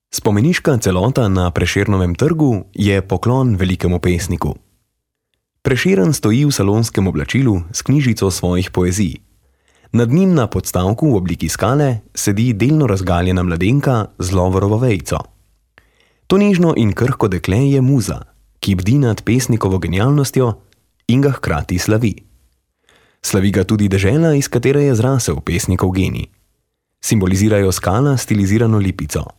Spomeniška celota na Prešernovem trgu je poklon velikemu pesniku. Prešeren stoji v salonskem oblačilu s knjižico svojih poezij. Nad njim na podstavku v obliki skale sedi delno razgaljena mladenka z lovorovo vejico. To nežno in krhko dekle je muza, ki bdi nad pesnikovo genialnostjo in ga hkrati slavi. Slavi ga tudi dežela, iz katere je zrasel pesnikov genij. Simbolizirajo skala stilizirano lipico.